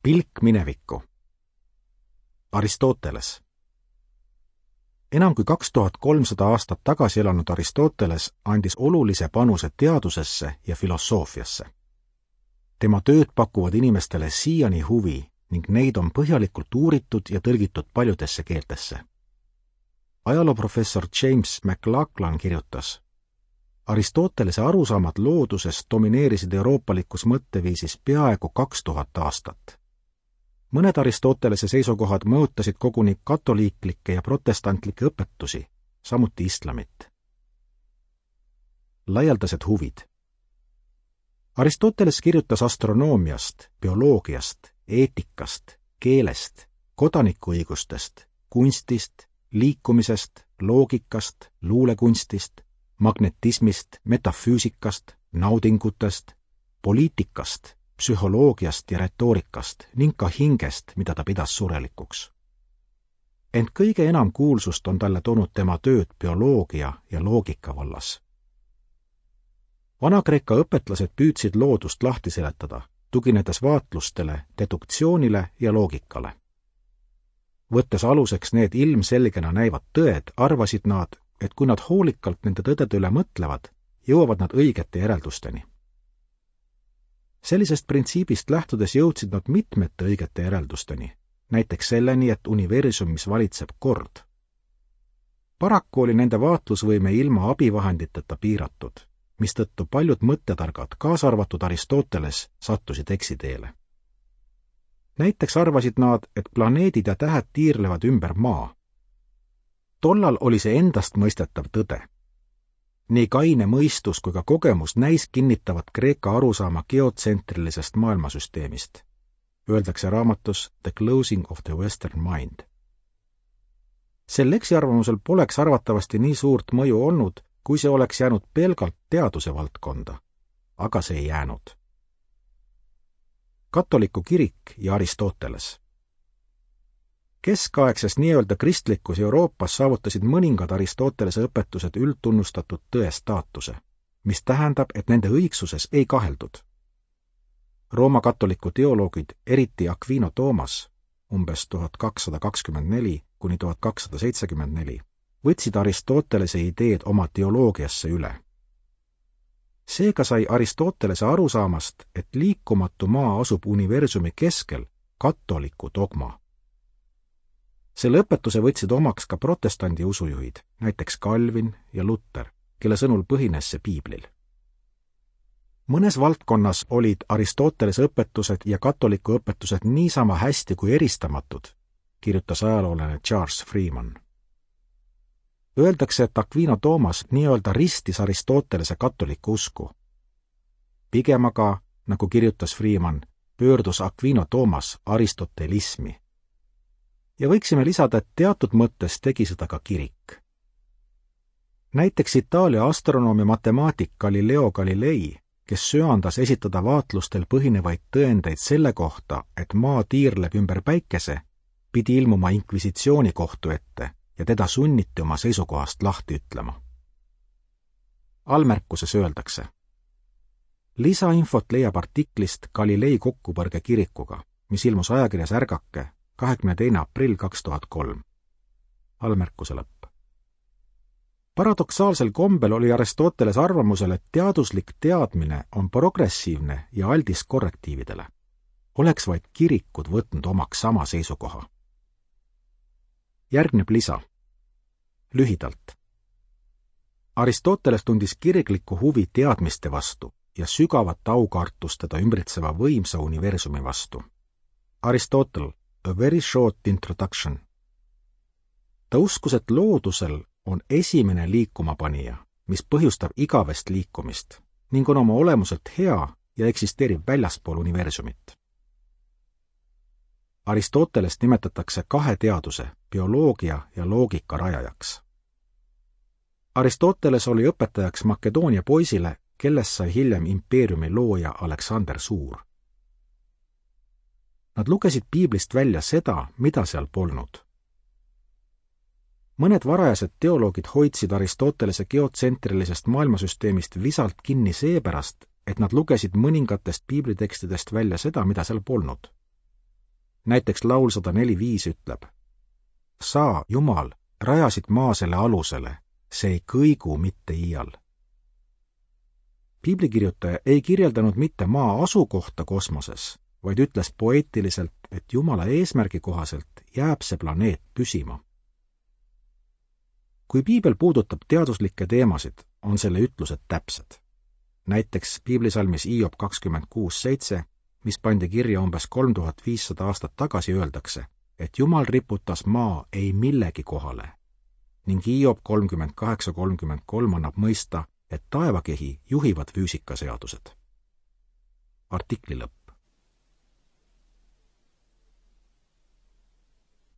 Pilk minevikku. Aristoteles. Enam kui 2300 aastat tagasi elanud Aristoteles andis olulise panuse teadusesse ja filosoofiasse. Tema tööd pakuvad inimestele siiani huvi ning neid on põhjalikult uuritud ja tõlgitud paljudesse keeltesse. Ajalooprofessor James McLachlan kirjutas: Aristotelese arusaamad loodusest domineerisid euroopalikus mõtteviisis peaaegu 2000 aastat. Mõned Aristotelese seisukohad mõjutasid koguni katoliiklikke ja protestantlikke õpetusi, samuti islamit. Laialdased huvid. Aristoteles kirjutas astronoomiast, bioloogiast, eetikast, keelest, kodanikuõigustest, kunstist, liikumisest, loogikast, luulekunstist, magnetismist, metafüüsikast, naudingutest, poliitikast, psühholoogiast ja retoorikast ning ka hingest, mida ta pidas surelikuks. Ent kõige enam kuulsust on talle toonud tema tööd bioloogia ja loogika vallas. Vana-Kreeka õpetlased püüdsid loodust lahti seletada, tuginedes vaatlustele, deduktsioonile ja loogikale. Võttes aluseks need ilmselgena näivad tõed, arvasid nad, et kui nad hoolikalt nende tõdede üle mõtlevad, jõuavad nad õigete järeldusteni. Sellisest printsiibist lähtudes jõudsid nad mitmete õigete järeldusteni, näiteks selleni, et universumis valitseb kord. Paraku oli nende vaatlusvõime ilma abivahenditeta piiratud, mistõttu paljud mõttetargad, kaasa arvatud Aristoteles, sattusid eksiteele. Näiteks arvasid nad, et planeedid ja tähed tiirlevad ümber maa. Tollal oli see endast mõistetav tõde. Nii kaine mõistus kui ka kogemus näis kinnitavat Kreeka arusaama geotsentrilisest maailmasüsteemist. Öeldakse raamatus The Closing of the Western Mind. Sel eksiarvamusel poleks arvatavasti nii suurt mõju olnud, kui see oleks jäänud pelgalt teaduse valdkonda, aga see ei jäänud. Katoliku kirik ja Aristoteles. Keskaegses nii-öelda kristlikus Euroopas saavutasid mõningad Aristotelese õpetused üldtunnustatud tõe staatuse, mis tähendab, et nende õigsuses ei kaheldud. Rooma katoliku teoloogid, eriti Aquino Toomas, umbes 1224–1274, võtsid Aristotelese ideed oma teoloogiasse üle. Seega sai Aristotelese arusaamast, et liikumatu maa asub universumi keskel, katoliku dogma. Selle õpetuse võtsid omaks ka protestandi usujuhid, näiteks Calvin ja Luther, kelle sõnul põhines see piiblil. Mõnes valdkonnas olid Aristotelese õpetused ja katoliku õpetused niisama hästi kui eristamatud, kirjutas ajaloolane Charles Freeman. Öeldakse, et Aquino Toomas nii-öelda ristis Aristotelese katoliku usku. Pigem aga, nagu kirjutas Freeman, pöördus Aquino Toomas aristotelismi. Ja võiksime lisada, et teatud mõttes tegi seda ka kirik. Näiteks Itaalia astronoomi matemaatik Galileo Galilei, kes söandas esitada vaatlustel põhinevaid tõendeid selle kohta, et maa tiirleb ümber päikese, pidi ilmuma inkvisitsioonikohtu ette ja teda sunniti oma seisukohast lahti ütlema. Allmärkuses öeldakse: lisainfot leiab artiklist Galilei kokkupõrge kirikuga, mis ilmus ajakirjas Ärgake 22. aprill 2003. Allmärkuse lõpp. Paradoksaalsel kombel oli Aristoteles arvamusel, et teaduslik teadmine on progressiivne ja aldis korrektiividele. Oleks vaid kirikud võtnud omaks sama seisukoha. Järgneb lisa. Lühidalt. Aristoteles tundis kirglikku huvi teadmiste vastu ja sügavat aukartust teda ümbritseva võimsa universumi vastu. Aristotle, A Very Short Introduction. Ta uskus, et loodusel on esimene liikumapanija, mis põhjustab igavest liikumist ning on oma olemuselt hea ja eksisteerib väljaspool universumit. Aristotelest nimetatakse kahe teaduse, bioloogia ja loogika rajajaks. Aristoteles oli õpetajaks Makedoonia poisile, kellest sai hiljem impeeriumi looja Aleksander Suur. Nad lugesid piiblist välja seda, mida seal polnud. Mõned varajased teoloogid hoidsid Aristotelese geotsentrilisest maailmasüsteemist visalt kinni seepärast, et nad lugesid mõningatest piiblitekstidest välja seda, mida seal polnud. näiteks laul 104:5 ütleb: sa, Jumal, rajasid maa selle alusele, see ei kõigu mitte iial. Piiblikirjutaja ei kirjeldanud mitte maa asukohta kosmoses, vaid ütles poeetiliselt, et Jumala eesmärgi kohaselt jääb see planeet püsima. Kui piibel puudutab teaduslikke teemasid, on selle ütlused täpsed. Näiteks piiblisalmis Hiob 26:7, mis pandi kirja umbes 3500 aastat tagasi, öeldakse, et Jumal riputas maa ei millegi kohale, ning Hiob 38:33 annab mõista, et taevakehi juhivad füüsikaseadused. Artikli lõpp.